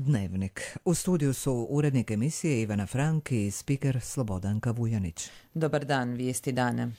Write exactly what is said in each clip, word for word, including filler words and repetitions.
Dnevnik. U studiju su urednik emisije Ivana Frank i spiker Slobodanka Vujanić. Dobar dan, vijesti dana.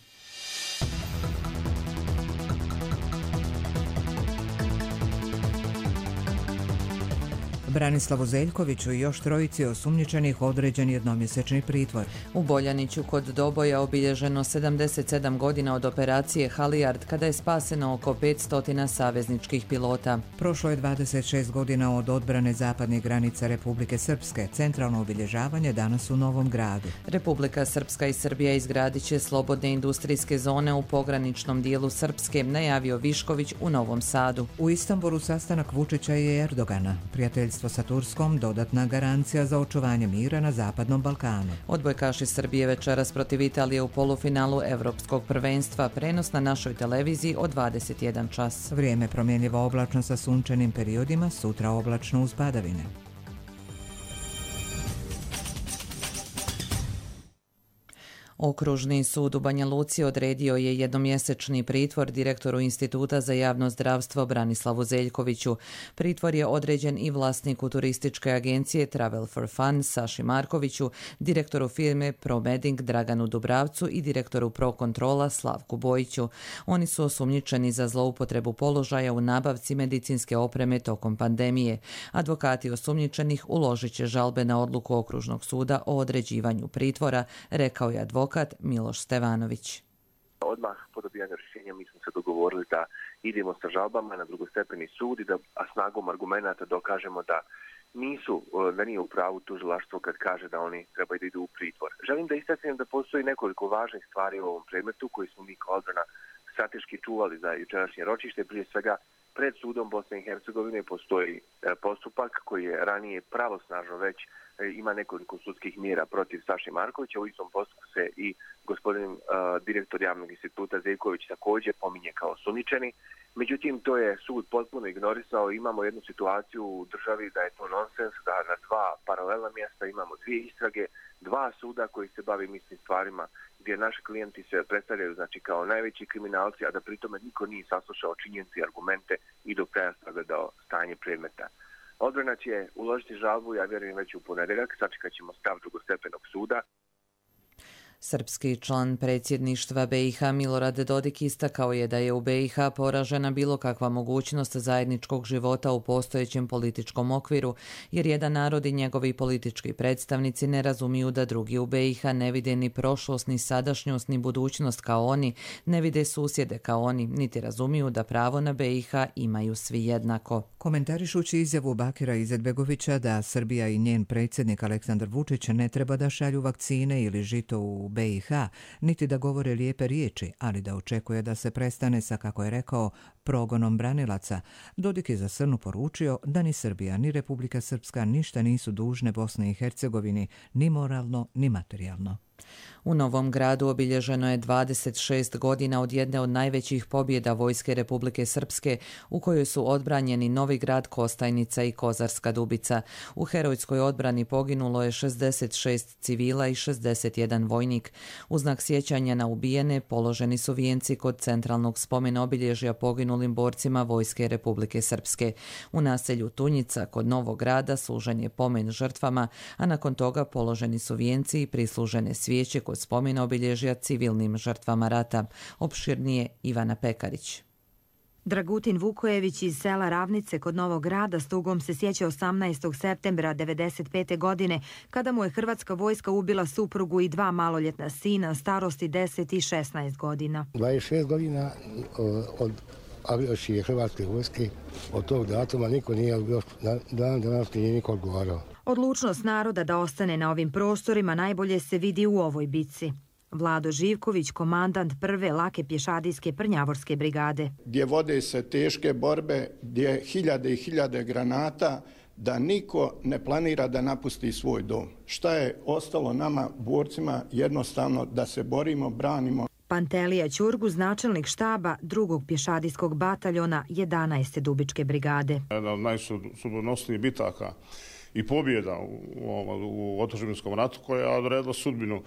Branislavu Zeljkoviću i još trojici osumnjičenih određen jednomjesečni pritvor. U Boljaniću kod Doboja obilježeno sedamdeset sedam godina od operacije Halijard, kada je spaseno oko petsto savezničkih pilota. Prošlo je dvadeset šest godina od odbrane zapadnih granica Republike Srpske. Centralno obilježavanje danas u Novom Gradu. Republika Srpska i Srbija izgradit će slobodne industrijske zone u pograničnom dijelu Srpske, najavio Višković u Novom Sadu. U Istanbulu sastanak Vučića i Erdogana. Prijateljstvo sa Turskom dodatna garancija za očuvanje mira na Zapadnom Balkanu. Odbojkaši Srbije večeras protiv Italije u polufinalu Evropskog prvenstva, prenos na našoj televiziji od dvadeset jedan čas. Vrijeme promjenljivo oblačno sa sunčanim periodima, sutra oblačno uz padavine. Okružni sud u Banja Luci odredio je jednomjesečni pritvor direktoru Instituta za javno zdravstvo Branislavu Zeljkoviću. Pritvor je određen i vlasniku turističke agencije Travel for Fun Saši Markoviću, direktoru firme ProMeding Draganu Dubravcu i direktoru ProControla Slavku Bojiću. Oni su osumnjičeni za zloupotrebu položaja u nabavci medicinske opreme tokom pandemije. Advokati osumnjičenih uložit će žalbe na odluku Okružnog suda o određivanju pritvora, rekao je advokat Miloš Stevanović. Odmah po dobijanju rješenja mi smo se dogovorili da idemo sa žalbama na drugostepeni sud i da a snagom argumenata dokažemo da nisu, da nije u pravu tužilaštvo kad kaže da oni trebaju da idu u pritvor. Želim da istaknem da postoji nekoliko važnih stvari u ovom predmetu koji smo mi kao odbrana strateški čuvali za jučerašnje ročište. Prije svega, pred sudom Bosne i Hercegovine postoji postupak koji je ranije pravosnažno već ima nekoliko sudskih mjera protiv Saše Markovića. U istom postupku se i gospodin uh, direktor javnog instituta Zeljković također pominje kao osumnjičeni. Međutim, to je sud potpuno ignorisao. Imamo jednu situaciju u državi da je to nonsens, da na dva paralelna mjesta imamo dvije istrage, dva suda koji se bavi istim stvarima, gdje naši klijenti se predstavljaju znači kao najveći kriminalci, a da pritome niko nije saslušao činjenice i argumente i do kraja sagledao stanje predmeta. Odbrana će uložiti žalbu, ja vjerujem već u ponedjeljak, sačekat ćemo stav drugostepenog suda. Srpski član predsjedništva B i H Milorad Dodik istakao je da je u B i H poražena bilo kakva mogućnost zajedničkog života u postojećem političkom okviru, jer jedan narod i njegovi politički predstavnici ne razumiju da drugi u B i H ne vide ni prošlost, ni sadašnjost, ni budućnost kao oni, ne vide susjede kao oni, niti razumiju da pravo na B i H imaju svi jednako. Komentarišući izjavu Bakira Izetbegovića da Srbija i njen predsjednik Aleksandar Vučić ne treba da šalju vakcine ili žito u B i H, niti da govore lijepe riječi, ali da očekuje da se prestane sa, kako je rekao, progonom branilaca, Dodik je za Srnu poručio da ni Srbija ni Republika Srpska ništa nisu dužne Bosni i Hercegovini, ni moralno, ni materijalno. U Novom Gradu obilježeno je dvadeset šest godina od jedne od najvećih pobjeda Vojske Republike Srpske, u kojoj su odbranjeni Novi Grad, Kostajnica i Kozarska Dubica. U herojskoj odbrani poginulo je šezdeset šest civila i šezdeset jedan vojnik. U znak sjećanja na ubijene položeni su vijenci kod centralnog spomena obilježja poginulim borcima Vojske Republike Srpske. U naselju Tunjica kod Novog Grada služen je pomen žrtvama, a nakon toga položeni su vijenci i prislužene svijeće kod spomena obilježja civilnim žrtvama rata. Opširnije Ivana Pekarić. Dragutin Vukojević iz sela Ravnice kod Novog Grada s tugom se sjeća osamnaestog septembra devedeset pete godine, kada mu je hrvatska vojska ubila suprugu i dva maloljetna sina starosti deset i šesnaest godina. dvadeset šest godina od agresije hrvatske vojske, od tog datuma niko nije još dan danas nije niko odgovarao. Odlučnost naroda da ostane na ovim prostorima najbolje se vidi u ovoj bitci. Vlado Živković, komandant prve lake pješadijske Prnjavorske brigade. Gdje vode se teške borbe, gdje hiljade i hiljade granata, da niko ne planira da napusti svoj dom. Šta je ostalo nama, borcima, jednostavno da se borimo, branimo. Pantelija Ćurguz, načelnik štaba drugog pješadijskog bataljona jedanaeste Dubičke brigade. Jedna od najsudbonosnijih bitaka i pobjeda u, u otadžbinskom ratu koja je odredila sudbinu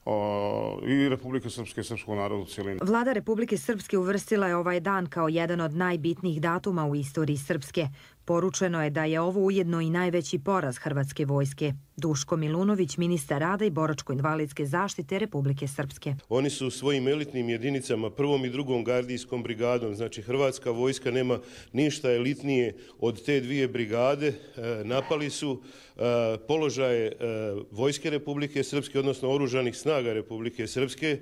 o, i Republike Srpske i srpskog naroda u cijelini. Vlada Republike Srpske uvrstila je ovaj dan kao jedan od najbitnijih datuma u istoriji Srpske. Poručeno je da je ovo ujedno i najveći poraz hrvatske vojske. Duško Milunović, ministar rada i boračko-invalidske zaštite Republike Srpske. Oni su svojim elitnim jedinicama, prvom i drugom gardijskom brigadom, znači hrvatska vojska nema ništa elitnije od te dvije brigade, napali su položaje vojske Republike Srpske, odnosno oružanih snaga Republike Srpske.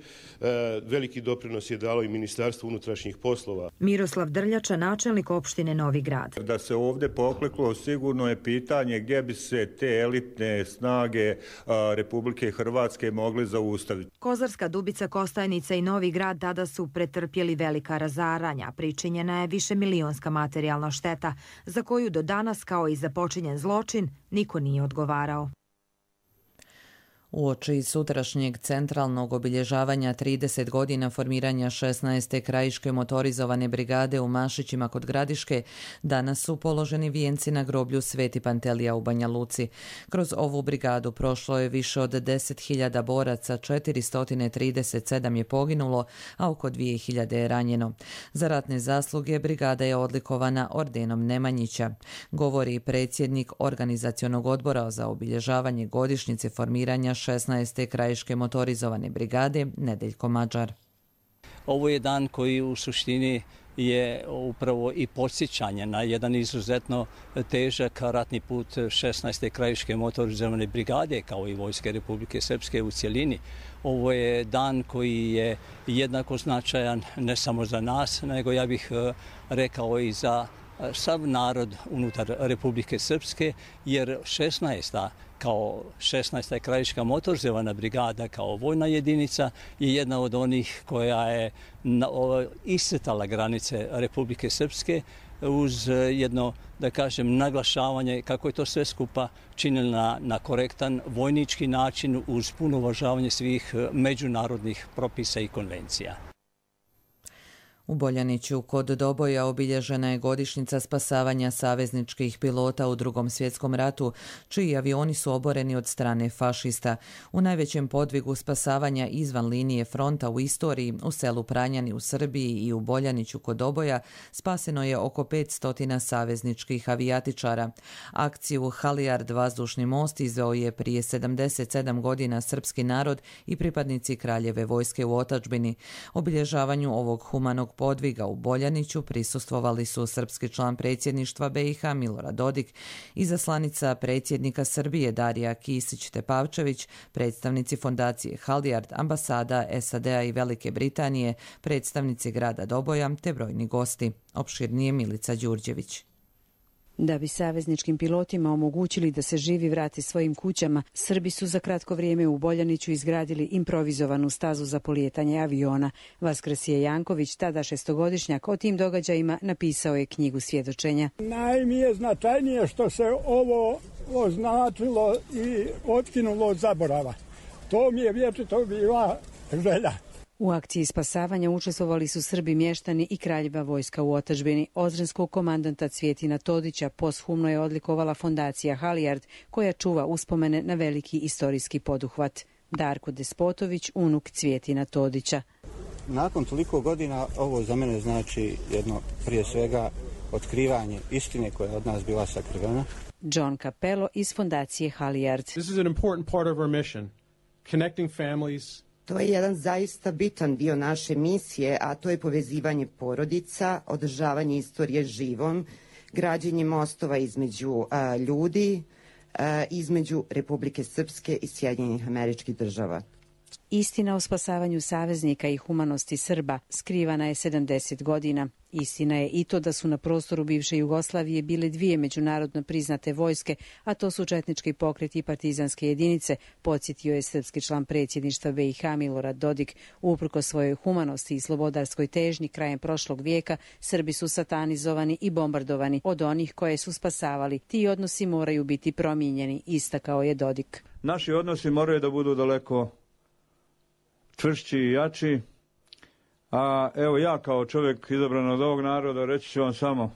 Veliki doprinos je dalo i Ministarstvo unutrašnjih poslova. Miroslav Drljača, načelnik opštine Novi Grad. Da se ovdje pokleklo, sigurno je pitanje gdje bi se te elitne snage Republike Hrvatske mogli zaustaviti. Kozarska Dubica, Kostajnica i Novi Grad tada su pretrpjeli velika razaranja. Pričinjena je višemilionska materijalna šteta, za koju do danas, kao i za počinjen zločin, niko nije odgovarao. Uoči sutrašnjeg centralnog obilježavanja trideset godina formiranja šesnaeste krajiške motorizovane brigade u Mašićima kod Gradiške, danas su položeni vijenci na groblju Sveti Pantelija u Banja Luci. Kroz ovu brigadu prošlo je više od deset hiljada boraca, četiristo trideset sedam je poginulo, a oko dvije hiljade je ranjeno. Za ratne zasluge brigada je odlikovana ordenom Nemanjića, govori predsjednik organizacionog odbora za obilježavanje godišnjice formiranja šesnaeste krajiške motorizovane brigade Nedeljko Mađar. Ovo je dan koji u suštini je upravo i podsjećanje na jedan izuzetno težak ratni put šesnaeste krajiške motorizovane brigade kao i Vojske Republike Srpske u cjelini. Ovo je dan koji je jednako značajan ne samo za nas, nego ja bih rekao i za sav narod unutar Republike Srpske, jer šesnaesta kao šesnaesta krajiška motorizovana brigada kao vojna jedinica je jedna od onih koja je iscrtala granice Republike Srpske uz jedno, da kažem, naglašavanje kako je to sve skupa činilo na, na korektan vojnički način uz puno uvažavanje svih međunarodnih propisa i konvencija. U Boljaniću kod Doboja obilježena je godišnjica spasavanja savezničkih pilota u Drugom svjetskom ratu, čiji avioni su oboreni od strane fašista. U najvećem podvigu spasavanja izvan linije fronta u istoriji, u selu Pranjani u Srbiji i u Boljaniću kod Doboja, spaseno je oko petsto savezničkih avijatičara. Akciju Halijard vazdušni most izveo je prije sedamdeset sedam godina srpski narod i pripadnici Kraljeve vojske u otadžbini. Obilježavanju ovog humanog podviga u Boljaniću prisustvovali su srpski član predsjedništva B i H Milorad Dodik, izaslanica predsjednika Srbije Darija Kisić-Tepavčević, predstavnici fondacije Halijard, ambasada S A D-a i Velike Britanije, predstavnici grada Doboja te brojni gosti. Opširnije Milica Đurđević. Da bi savezničkim pilotima omogućili da se živi vrati svojim kućama, Srbi su za kratko vrijeme u Boljaniću izgradili improvizovanu stazu za polijetanje aviona. Vaskrsije Janković, tada šestogodišnjak, o tim događajima napisao je knjigu svjedočenja. Najmije značajnije što se ovo označilo i otkinulo od zaborava. To mi je vječito bila želja. U akciji spasavanja učestvovali su Srbi mještani i Kraljeva vojska u otadžbini. Ozrenskog komandanta Cvjetina Todića posthumno je odlikovala fondacija Halijard, koja čuva uspomene na veliki istorijski poduhvat. Darko Despotović, unuk Cvjetina Todića. Nakon toliko godina ovo za mene znači jedno, prije svega, otkrivanje istine koja je od nas bila sakrivena. John Capello iz fondacije Halijard. This is an important part of our mission, connecting families. To je jedan zaista bitan dio naše misije, a to je povezivanje porodica, održavanje istorije živom, građenje mostova između a, ljudi, a, između Republike Srpske i Sjedinjenih Američkih Država. Istina o spasavanju saveznika i humanosti Srba skrivana je sedamdeset godina. Istina je i to da su na prostoru bivše Jugoslavije bile dvije međunarodno priznate vojske, a to su četnički pokret i partizanske jedinice, podsjetio je srpski član predsjedništva B i H Milorad Dodik. Uprkos svojoj humanosti i slobodarskoj težnji krajem prošlog vijeka, Srbi su satanizovani i bombardovani od onih koje su spasavali. Ti odnosi moraju biti promijenjeni, istakao je Dodik. Naši odnosi moraju da budu daleko čvršći i jači. A evo ja kao čovjek izabran od ovog naroda reći ću vam samo,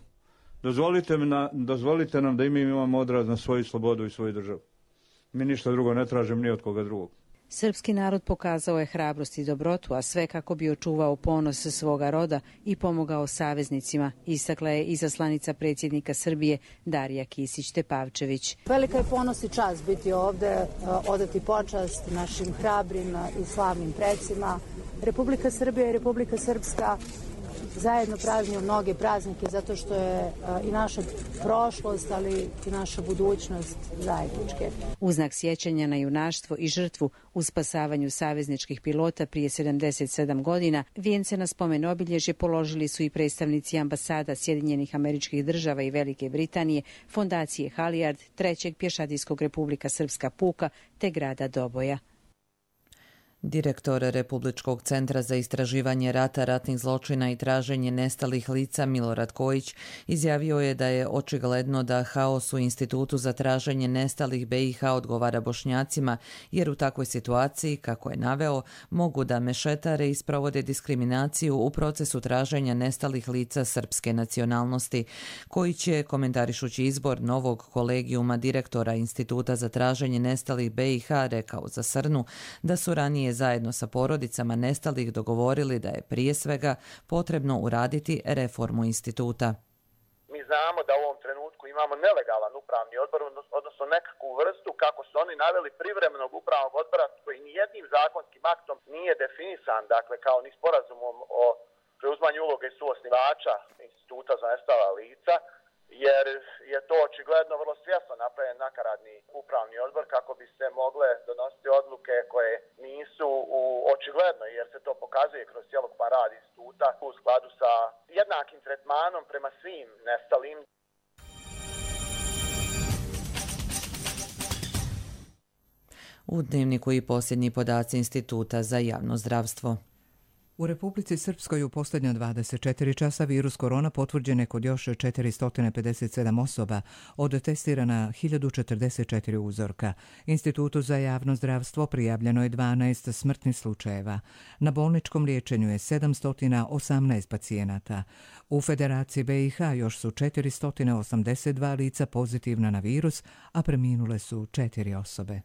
dozvolite, na, dozvolite nam da i mi imamo odraz na svoju slobodu i svoju državu. Mi ništa drugo ne tražimo ni od koga drugog. Srpski narod pokazao je hrabrost i dobrotu, a sve kako bi očuvao ponos svoga roda i pomogao saveznicima, istakla je izaslanica predsjednika Srbije Darija Kisić-Tepavčević. Velika je ponos i čast biti ovde, odati počast našim hrabrim i slavnim precima. Republika Srbija i Republika Srpska zajedno prazniju mnoge praznike zato što je i naša prošlost, ali i naša budućnost zajedničke. U znak sjećanja na junaštvo i žrtvu u spasavanju savezničkih pilota prije sedamdeset sedam godina, vijence na spomen obilježje položili su i predstavnici ambasada Sjedinjenih Američkih Država i Velike Britanije, fondacije Halijard, Trećeg pješadijskog Republika Srpska puka te grada Doboja. Direktor Republičkog centra za istraživanje rata, ratnih zločina i traženje nestalih lica Milorad Kojić izjavio je da je očigledno da haos u Institutu za traženje nestalih B i H odgovara Bošnjacima, jer u takvoj situaciji, kako je naveo, mogu da mešetare i sprovode diskriminaciju u procesu traženja nestalih lica srpske nacionalnosti. Kojić je, komentarišući izbor novog kolegijuma direktora Instituta za traženje nestalih B i H, rekao za Srnu da su ranije zajedno sa porodicama nestalih dogovorili da je prije svega potrebno uraditi reformu instituta. Mi znamo da u ovom trenutku imamo nelegalan upravni odbor, odnosno nekakvu vrstu, kako su oni naveli, privremenog upravnog odbora koji nijednim zakonskim aktom nije definisan, dakle kao ni sporazumom o preuzmanju uloge suosnivača Instituta za nestala lica, jer je to očigledno vrlo svjesno napravljen nakaradni upravni odbor kako bi se mogle donositi odluke koje nisu u očigledno, jer se to pokazuje kroz cjelokupan rad instituta u skladu sa jednakim tretmanom prema svim nestalim. U Dnevniku i posljednji podaci Instituta za javno zdravstvo. U Republici Srpskoj u posljednja dvadeset četiri časa virus korona potvrđen je kod još četiristo pedeset sedam osoba, od testirana hiljadu četrdeset četiri uzorka. Institutu za javno zdravstvo prijavljeno je dvanaest smrtnih slučajeva. Na bolničkom liječenju je sedamsto osamnaest pacijenata. U Federaciji B i H još su četiristo osamdeset dva lica pozitivna na virus, a preminule su četiri osobe.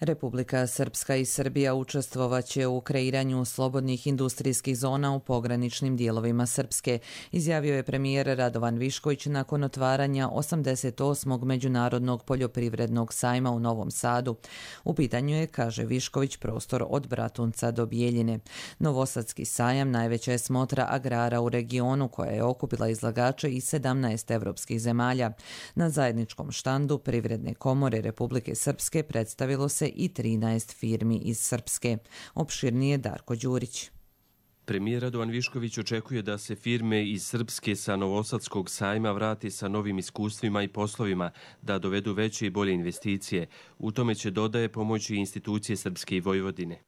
Republika Srpska i Srbija učestvovaće u kreiranju slobodnih industrijskih zona u pograničnim dijelovima Srpske, izjavio je premijer Radovan Višković nakon otvaranja osamdeset osmog Međunarodnog poljoprivrednog sajma u Novom Sadu. U pitanju je, kaže Višković, prostor od Bratunca do Bijeljine. Novosadski sajam najveća je smotra agrara u regionu koja je okupila izlagače iz sedamnaest evropskih zemalja. Na zajedničkom štandu Privredne komore Republike Srpske predstavilo se i trinaest firmi iz Srpske. Opširnije Darko Đurić. Premijer Radovan Višković očekuje da se firme iz Srpske sa Novosadskog sajma vrati sa novim iskustvima i poslovima, da dovedu veće i bolje investicije. U tome će, dodaje, pomoći institucije Srpske i Vojvodine.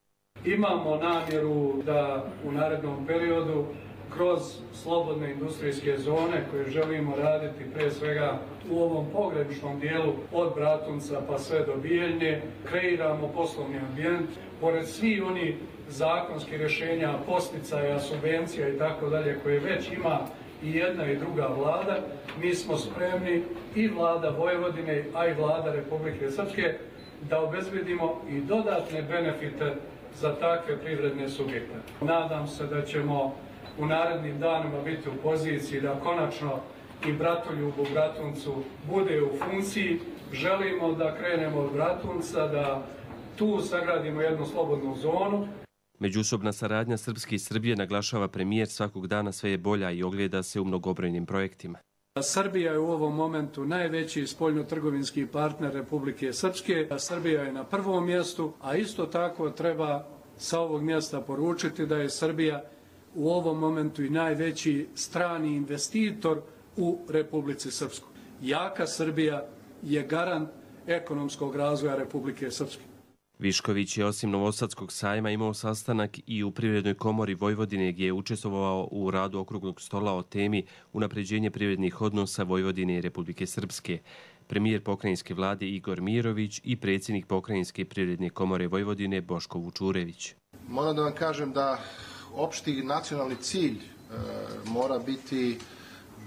Imamo namjeru da u narednom periodu kroz slobodne industrijske zone koje želimo raditi pre svega u ovom pograničnom dijelu od Bratunca pa sve do Bijeljne, kreiramo poslovni ambijent. Pored svih oni zakonskih rješenja, posticaja, subvencija i tako dalje koje već ima i jedna i druga vlada, mi smo spremni i vlada Vojvodine, a i vlada Republike Srpske da obezbedimo i dodatne benefite za takve privredne subjekte. Nadam se da ćemo u narednim danima biti u poziciji da konačno i Bratoljub u Bratuncu bude u funkciji. Želimo da krenemo od Bratunca, da tu sagradimo jednu slobodnu zonu. Međusobna saradnja Srpske i Srbije, naglašava premijer, svakog dana sve je bolja i ogleda se u mnogobrojnim projektima. Srbija je u ovom momentu najveći spoljnotrgovinski partner Republike Srpske. Srbija je na prvom mjestu, a isto tako treba sa ovog mjesta poručiti da je Srbija u ovom momentu i najveći strani investitor u Republici Srpskoj. Jaka Srbija je garant ekonomskog razvoja Republike Srpske. Višković je osim Novosadskog sajma imao sastanak i u Privrednoj komori Vojvodine, gdje je učestvovao u radu okruglog stola o temi unapređenje privrednih odnosa Vojvodine i Republike Srpske. Premijer pokrajinske vlade Igor Mirović i predsjednik pokrajinske Privredne komore Vojvodine Boško Vučurević. Moram da vam kažem da opšti nacionalni cilj e, mora biti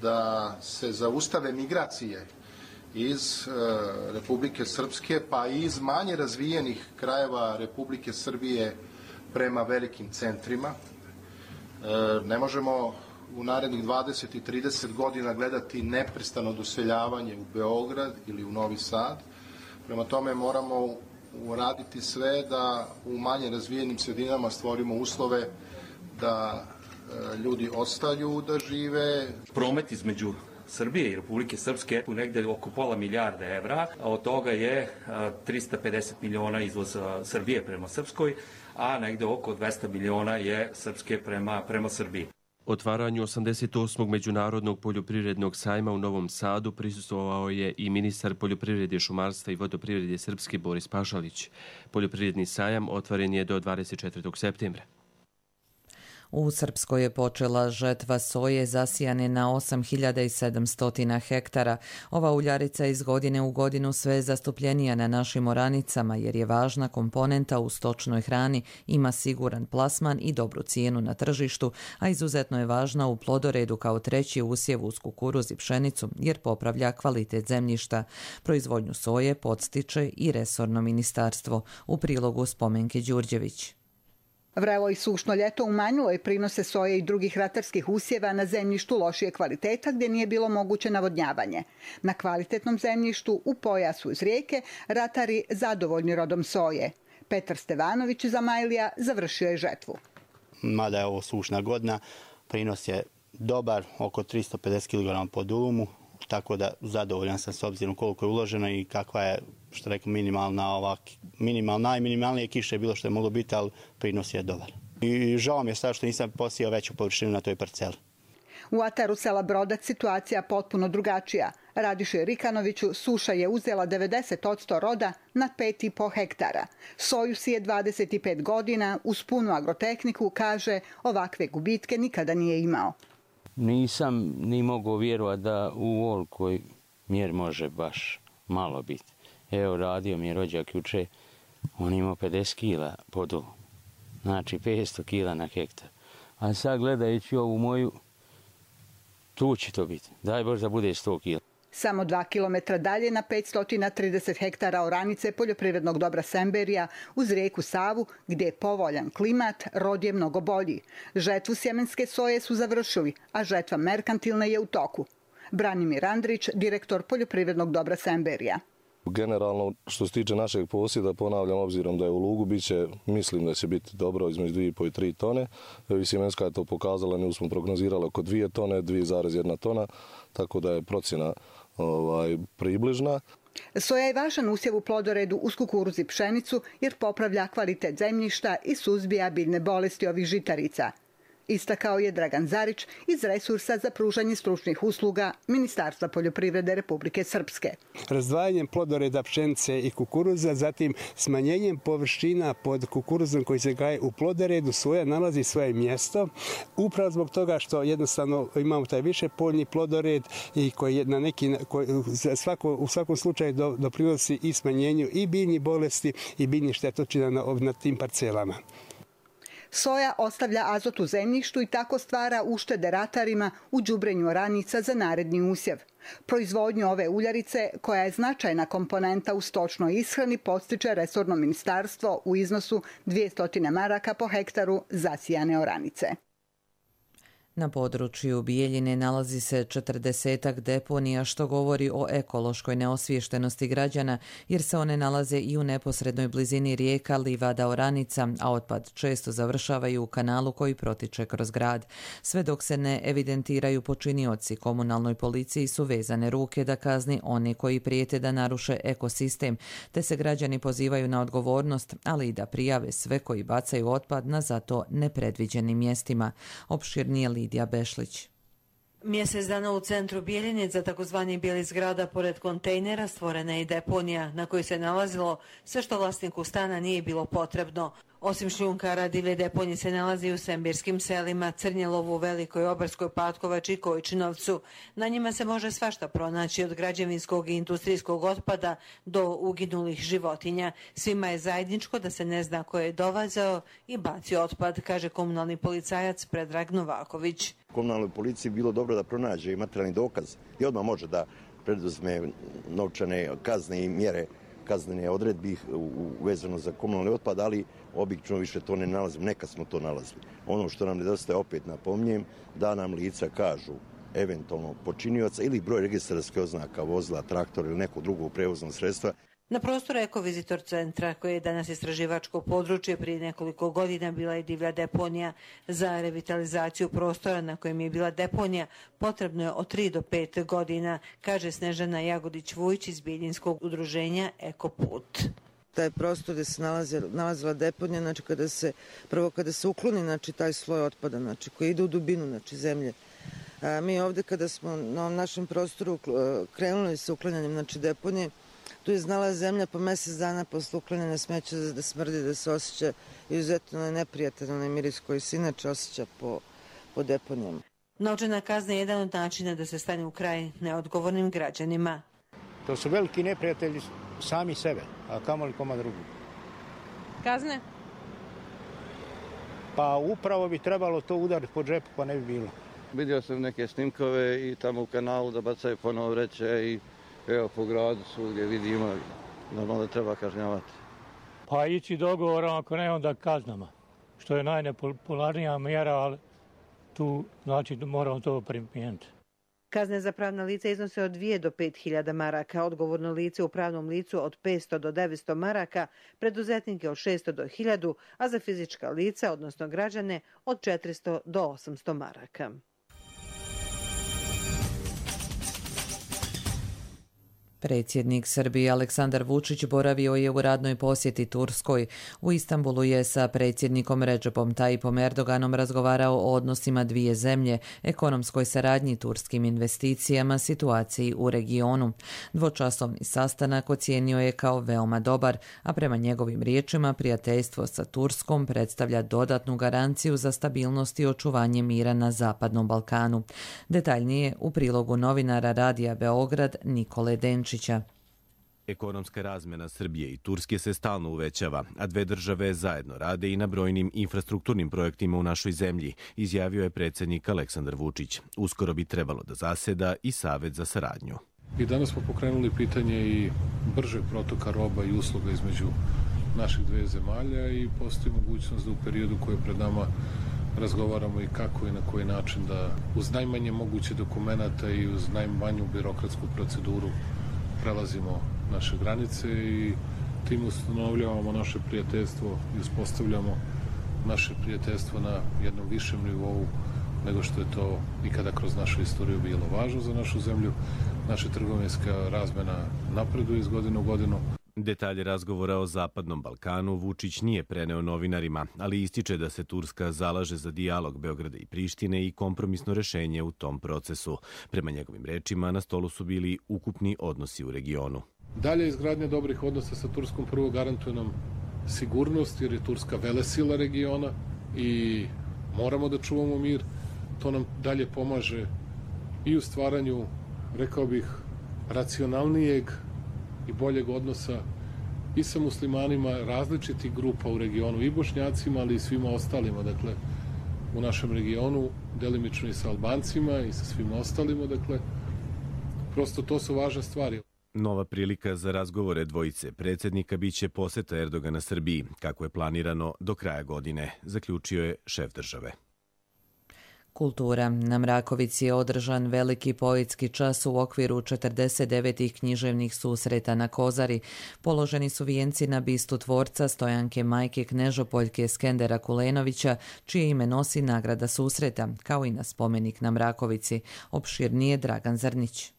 da se zaustave migracije iz Republike Srpske, pa i iz manje razvijenih krajeva Republike Srbije prema velikim centrima. Ne možemo u narednih dvadeset i trideset godina gledati neprestano doseljavanje u Beograd ili u Novi Sad. Prema tome moramo uraditi sve da u manje razvijenim sredinama stvorimo uslove da ljudi ostaju da žive. Promet između Srbije i Republike Srpske u negdje oko pola milijarda evra, a od toga je trista pedeset miliona izvoz Srbije prema Srpskoj, a negdje oko dvesta miliona je Srpske prema, prema Srbiji. Otvaranju osamdeset osmog Međunarodnog poljoprivrednog sajma u Novom Sadu prisustvovao je i ministar poljoprivrede, šumarstva i vodoprivrede Srpske Boris Pašalić. Poljoprivredni sajam otvoren je do dvadeset četvrtog septembra. U Srpskoj je počela žetva soje zasijane na osam hiljada sedamsto hektara. Ova uljarica iz godine u godinu sve je zastupljenija na našim oranicama jer je važna komponenta u stočnoj hrani, ima siguran plasman i dobru cijenu na tržištu, a izuzetno je važna u plodoredu kao treći usjev uz kukuruz i pšenicu jer popravlja kvalitet zemljišta. Proizvodnju soje podstiče i resorno ministarstvo. U prilogu Spomenke Đurđević. Vrelo i sušno ljeto umanjilo je prinose soje i drugih ratarskih usjeva na zemljištu lošije kvaliteta gdje nije bilo moguće navodnjavanje. Na kvalitetnom zemljištu u pojasu iz rijeke ratari zadovoljni rodom soje. Petar Stevanović iz Amajlija završio je žetvu. Mada je ovo sušna godina, prinos je dobar, oko tristo pedeset kilograma po dulumu, tako da zadovoljan sam s obzirom koliko je uloženo i kakva je, što rekao, minimalna, ovak, minimalna, najminimalnije kiše je bilo što je moglo biti, ali prinos je dobar. I žao mi je sad što nisam posijao veću površinu na toj parceli. U ataru sela Brodac situacija potpuno drugačija. Radiše Rikanoviću suša je uzela devedeset posto roda na pet i po hektara. Soju sije dvadeset pet godina, uz punu agrotehniku, kaže, ovakve gubitke nikada nije imao. Nisam ni mogao vjerovati da u ovolikoj mjeri može baš malo biti. Evo, radio mi je rođak juče, on imao pedeset kila po dolu, znači petsto kila na hektar. A sad gledajući ovu moju, tu će to biti. Daj Bože da bude sto kila. Samo dva kilometra dalje na petsto trideset hektara oranice poljoprivrednog dobra Semberija uz rijeku Savu, gdje je povoljan klimat, rod je mnogo bolji. Žetvu sjemenske soje su završili, a žetva merkantilne je u toku. Branimir Andrić, direktor poljoprivrednog dobra Semberija. Generalno, što se tiče našeg posjeda, ponavljam, obzirom da je u lugu, biće, mislim da će biti dobro između dvije i pol i tri tone. Sjemenska je to pokazala, nju smo prognozirali oko dvije tone, dvije zarez jedna tona, tako da je procjena ovaj, približna. Soja je važan usjev u plodoredu uz kukuruz i pšenicu jer popravlja kvalitet zemljišta i suzbija biljne bolesti ovih žitarica. Istakao je Dragan Zarić iz Resursa za pružanje stručnih usluga Ministarstva poljoprivrede Republike Srpske. Razdvajanjem plodoreda pšenice i kukuruza, zatim smanjenjem površina pod kukuruzom koji se gaje u plodoredu, soja nalazi svoje mjesto, upravo zbog toga što jednostavno imamo taj više poljni plodored i koji na neki, koji svako, u svakom slučaju doprinosi i smanjenju i biljnih bolesti i biljnih štetočina na, na tim parcelama. Soja ostavlja azot u zemljištu i tako stvara uštede ratarima u đubrenju oranica za naredni usjev. Proizvodnju ove uljarice, koja je značajna komponenta u stočnoj ishrani, podstiče resorno ministarstvo u iznosu dvjesto maraka po hektaru zasijane oranice. Na području Bijeljine nalazi se četrdesetak deponija, što govori o ekološkoj neosviještenosti građana, jer se one nalaze i u neposrednoj blizini rijeka, livada, oranica, a otpad često završavaju u kanalu koji protiče kroz grad. Sve dok se ne evidentiraju počinioci, komunalnoj policiji su vezane ruke da kazni oni koji prijete da naruše ekosistem, te se građani pozivaju na odgovornost, ali i da prijave sve koji bacaju otpad na zato nepredviđenim mjestima. Opširnije Lidija Bešlić. Mjesec dana u centru Bijeljine za takozvani bijeli zgrada pored kontejnera stvorena je i deponija na kojoj se nalazilo sve što vlasniku stana nije bilo potrebno. Osim šljunkara, divlje deponije se nalazi u sembirskim selima, Crnjelovu, Velikoj, Obarskoj, Patkovači i Kojčinovcu. Na njima se može svašta pronaći, od građevinskog i industrijskog otpada do uginulih životinja. Svima je zajedničko da se ne zna ko je dovazao i bacio otpad, kaže komunalni policajac Predrag Novaković. Komunalnoj policiji bilo dobro da pronađe i materijalni dokaz i odmah može da preduzme novčane kazne i mjere kaznene odredbi vezano za komunalni otpad, ali obično više to ne nalazimo, nekad smo to nalazili. Ono što nam nedostaje, opet napominjem, da nam lica kažu eventualno počinioca ili broj registarskih oznaka vozila, traktora ili nekog drugog prevoznog sredstva. Na prostoru Ekovizitor centra, koje je danas istraživačko područje, prije nekoliko godina bila je divlja deponija. Za revitalizaciju prostora na kojem je bila deponija potrebno je od tri do pet godina, kaže Snežana Jagodić-Vujić iz Bijeljinskog udruženja Ekoput. Taj prostor gdje se nalazila, nalazila deponija, znači kada se, prvo kada se ukloni, znači taj sloj otpada, znači koji ide u dubinu, znači zemlje. A mi ovdje kada smo na ovom našem prostoru krenuli sa uklanjanjem, znači deponije, tu je znala zemlja po mjesec dana posle uklanjanja smeća da smrdi, da se osjeća izuzetno neprijatan onaj miris koji se inače osjeća po, po deponijama. Novčana kazna je jedan od načina da se stane u kraj neodgovornim građanima. To su veliki neprijatelji sami sebe, a kamoli koma drugi. Kazne? Pa upravo bi trebalo to udariti po džepu, pa ne bi bilo. Vidio sam neke snimkove i tamo u kanalu da bacaju ponovo vreće i evo po gradu svugdje vidimo, normalno da treba kažnjavati. Pa ići dogovorom, ako ne onda kaznama, što je najnepopularnija mjera, ali tu znači moramo to primijeniti. Kazne za pravna lica iznose od dvije do pet hiljada maraka, odgovorno lice u pravnom licu od petsto do devetsto maraka, preduzetnike od šesto do hiljadu, a za fizička lica, odnosno građane, od četiristo do osamsto maraka. Predsjednik Srbije Aleksandar Vučić boravio je u radnoj posjeti Turskoj. U Istanbulu je sa predsjednikom Recepom Tayyipom Erdoganom razgovarao o odnosima dvije zemlje, ekonomskoj saradnji, turskim investicijama, situaciji u regionu. Dvočasovni sastanak ocijenio je kao veoma dobar, a prema njegovim riječima prijateljstvo sa Turskom predstavlja dodatnu garanciju za stabilnost i očuvanje mira na Zapadnom Balkanu. Detaljnije u prilogu novinara Radija Beograd Nikole Denčića. Ekonomska razmjena Srbije i Turske se stalno uvećava, a dve države zajedno rade i na brojnim infrastrukturnim projektima u našoj zemlji, izjavio je predsjednik Aleksandar Vučić. Uskoro bi trebalo da zaseda i Savet za saradnju. I danas smo pokrenuli pitanje i bržeg protoka roba i usluga između naših dve zemalja i postoji mogućnost da u periodu koji je pred nama razgovaramo i kako i na koji način da uz najmanje moguće dokumenata i uz najmanju birokratsku proceduru prelazimo naše granice i tim ustanovljavamo naše prijateljstvo i uspostavljamo naše prijateljstvo na jednom višem nivou nego što je to ikada kroz našu istoriju bilo važno za našu zemlju. Naša trgovinska razmjena napreduje iz godine u godinu. Detalje razgovora o Zapadnom Balkanu Vučić nije preneo novinarima, ali ističe da se Turska zalaže za dijalog Beograda i Prištine i kompromisno rešenje u tom procesu. Prema njegovim rečima, na stolu su bili ukupni odnosi u regionu. Dalje izgradnja dobrih odnosa sa Turskom prvo garantuje nam sigurnost, jer je Turska velesila regiona i moramo da čuvamo mir. To nam dalje pomaže i u stvaranju, rekao bih, racionalnijeg i boljeg odnosa i sa muslimanima različitih grupa u regionu, i Bošnjacima, ali i svima ostalima, dakle, u našem regionu, delimično i sa Albancima i sa svima ostalima, dakle, prosto to su važne stvari. Nova prilika za razgovore dvojice predsjednika biće poseta Erdogana Srbiji, kako je planirano do kraja godine, zaključio je šef države. Kultura. Na Mrakovici je održan veliki poetski čas u okviru četrdeset devetih književnih susreta na Kozari. Položeni su vijenci na bistu tvorca Stojanke majke Knežopoljke Skendera Kulenovića, čije ime nosi nagrada susreta, kao i na spomenik na Mrakovici. Opširnije Dragan Zrnić.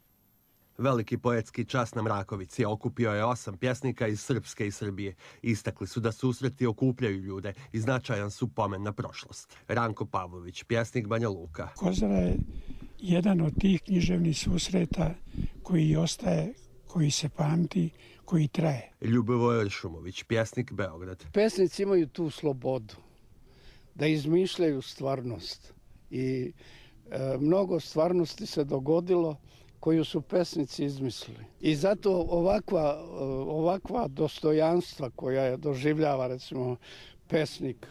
Veliki poetski čas na Mrakovici okupio je osam pjesnika iz Srpske i Srbije. Istakli su da susreti okupljaju ljude i značajan su pomen na prošlost. Ranko Pavlović, pjesnik Banja Luka. Kozara je jedan od tih književnih susreta koji ostaje, koji se pamti, koji traje. Ljubivoje Ršumović, pjesnik Beograd. Pesnici imaju tu slobodu da izmišljaju stvarnost i e, mnogo stvarnosti se dogodilo koju su pesnici izmislili. I zato ovakva, ovakva dostojanstva koja je doživljava, recimo, pesnik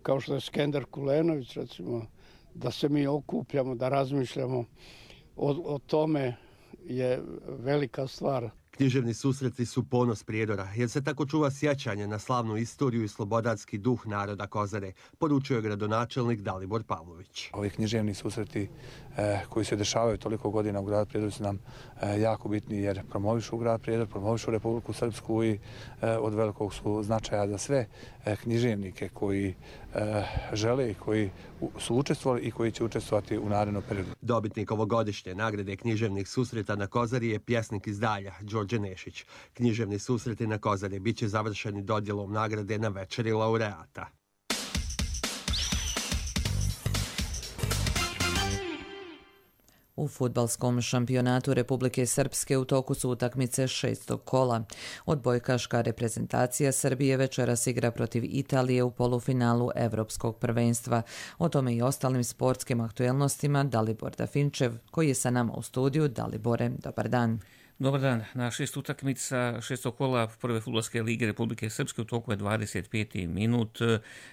kao što je Skender Kulenović, recimo, da se mi okupljamo, da razmišljamo o, o tome je velika stvar. Književni susreti su ponos Prijedora, jer se tako čuva sjećanje na slavnu istoriju i slobodarski duh naroda Kozare, poručio je gradonačelnik Dalibor Pavlović. Ovi književni susreti eh, koji se dešavaju toliko godina u gradu Prijedoru su nam eh, jako bitni jer promovišu grad Prijedor, promovišu Republiku Srpsku i eh, od velikog su značaja za sve eh, književnike koji eh, žele i koji su učestvovali i koji će učestvovati u narednom periodu. Dobitnik ovogodišnje nagrade književnih susreta na Kozari je pjesnik iz Dalja, Đorđe Nešić. Književni susreti na Kozari bit će završeni dodjelom nagrade na večeri laureata. U fudbalskom šampionatu Republike Srpske u toku su utakmice šestog kola. Odbojkaška reprezentacija Srbije večeras igra protiv Italije u polufinalu Evropskog prvenstva. O tome i ostalim sportskim aktuelnostima Dalibor Dafinčev, koji je sa nama u studiju. Dalibore, dobar dan. Dobar dan. Na šest utakmica šestog kola prve fudbalske lige Republike Srpske u toku je dvadeset peti minut.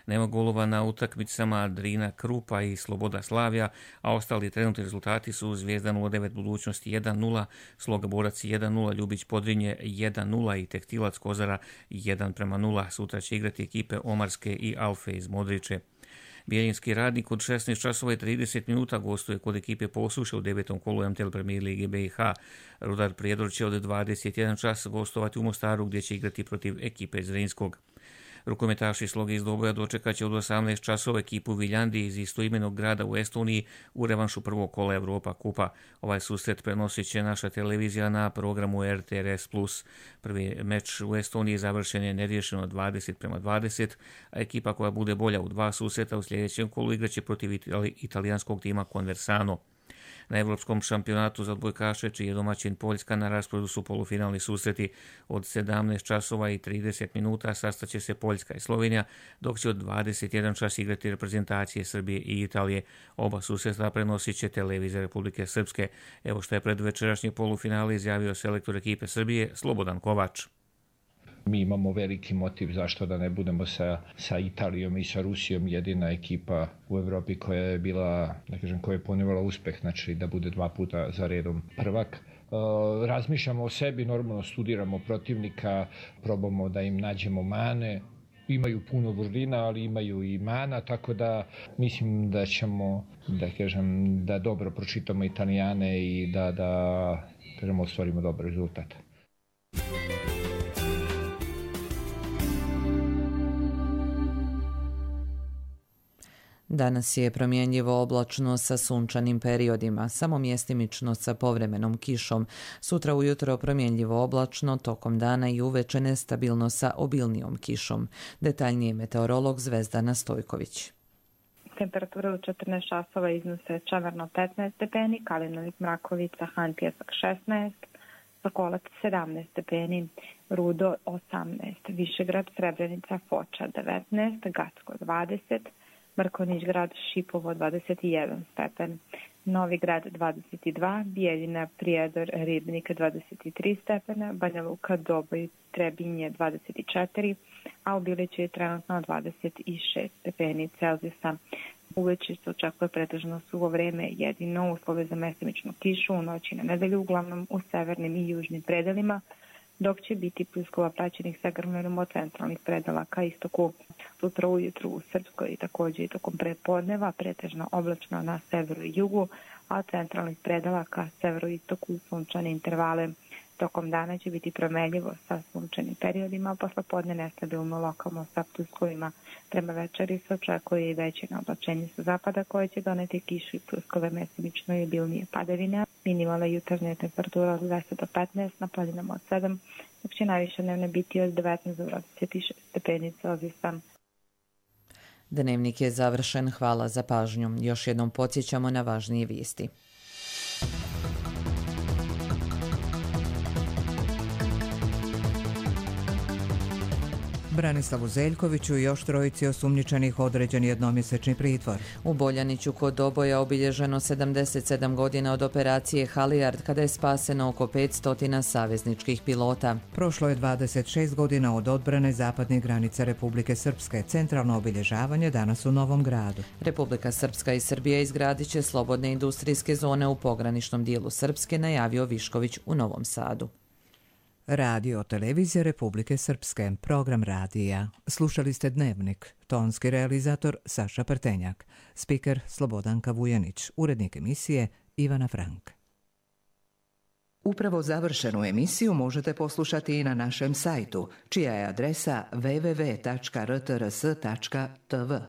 Nema golova na utakmicama Drina Krupa i Sloboda Slavija, a ostali trenutni rezultati su Zvijezda nula devet Budućnosti jedan nula, Sloga Borac jedan nula, Ljubić Podrinje jedan nula i Tekstilac Kozara jedan prema nula. Sutra će igrati ekipe Omarske i Alfe iz Modriče. Bijeljinski Radnik od šesnaest časova i trideset minuta gostuje kod ekipe Posuše u devetom kolu M T L Premier Lige B i H. Rudar Prijedor će od dvadeset jedan čas gostovati u Mostaru gdje će igrati protiv ekipe Zrinskog. Rukometaši Sloge iz Doboja dočekat će od osamnaest časova ekipu Viljandi iz istoimenog grada u Estoniji u revanšu prvog kola Evropa kupa. Ovaj susret prenosit će naša televizija na programu R T R S plus. Prvi meč u Estoniji završen je neriješeno dvadeset prema dvadeset, a ekipa koja bude bolja u dva susreta u sljedećem kolu igraće protiv italijanskog tima Conversano. Na Evropskom šampionatu za odbojkaše, čiji je domaćin Poljska, na rasporedu su polufinalni susreti. Od sedamnaest časova i trideset minuta sastaće se Poljska i Slovenija, dok će od dvadeset jedan čas igrati reprezentacije Srbije i Italije. Oba susreta prenosit će televizija Republike Srpske. Evo što je pred večerašnje polufinale izjavio selektor ekipe Srbije Slobodan Kovač. Mi imamo veliki motiv zašto da ne budemo sa, sa Italijom i sa Rusijom jedina ekipa u Evropi koja je bila, da kažem, koja je ponivala uspeh, znači da bude dva puta za redom prvak. E, razmišljamo o sebi, normalno studiramo protivnika, probamo da im nađemo mane. Imaju puno vrlina, ali imaju i mana, tako da mislim da ćemo, da kažem, da dobro pročitamo Italijane i da, da kažem, ostvarimo dobar rezultat. Danas je promjenjivo oblačno sa sunčanim periodima, samo mjestimično sa povremenom kišom. Sutra ujutro promjenjivo oblačno, tokom dana i uveče nestabilno sa obilnijom kišom. Detaljnije meteorolog Zvezdana Stojković. Temperatura u četrnaest časova iznose Čavarno petnaest stepeni, Kalinovik, Mrakovica, Han Pjesak šesnaest, Sokolac sedamnaest stepeni, Rudo osamnaest, Višegrad, Srebrenica, Foča devetnaest, Gacko dvadeset, Mrkonjić grad, Šipovo dvadeset jedan stepen, Novi grad dvadeset dva, Bijeljina, Prijedor, Ribnik dvadeset tri stepena, Banja Luka, Doboj, Trebinje dvadeset četiri, a u Biliću je trenutno dvadeset šest stepeni Celzijusa. Uveče se očekuje pretežno suvo vreme, jedino uslove za mestimičnu kišu u noći na nedelju, uglavnom u severnim i južnim predelima, dok će biti pljuskova praćenih sa grmljenom od centralnih predela ka istoku. Sutra ujutru u Srpskoj i također i tokom prepodneva pretežno oblačno na severu i jugu, a od centralnih predela ka severoistoku sunčane intervale. Tokom dana će biti promenljivo sa sunčanim periodima, posle podne nestabilno lokalno sa pljuskovima. Prema večeri se očekuje i veće oblačenje sa zapada koje će doneti kišu i pljuskove mestimično i obilnije padavine. Minimalna jutarnja temperatura od deset do petnaest, na planinama od sedam, dok će najviše dnevne biti od devetnaest do dvadeset šest stepeni Celzijusa. Dnevnik je završen, hvala za pažnju. Još jednom podsjećamo na važnije vijesti. Branislavu Zeljkoviću i još trojici osumnjičenih određen jednomjesečni pritvor. U Boljaniću kod Doboja obilježeno sedamdeset sedam godina od operacije Halijard, kada je spaseno oko petsto savezničkih pilota. Prošlo je dvadeset šest godina od odbrane zapadnih granica Republike Srpske. Centralno obilježavanje danas u Novom Gradu. Republika Srpska i Srbija izgradit će slobodne industrijske zone u pograničnom dijelu Srpske, najavio Višković u Novom Sadu. Radio televizija Republike Srpske, program radija. Slušali ste Dnevnik, tonski realizator Saša Prtenjak, spiker Slobodanka Vujanić, urednik emisije Ivana Frank. Upravo završenu emisiju možete poslušati i na našem sajtu, čija je adresa w w w tačka r t r s tačka t v.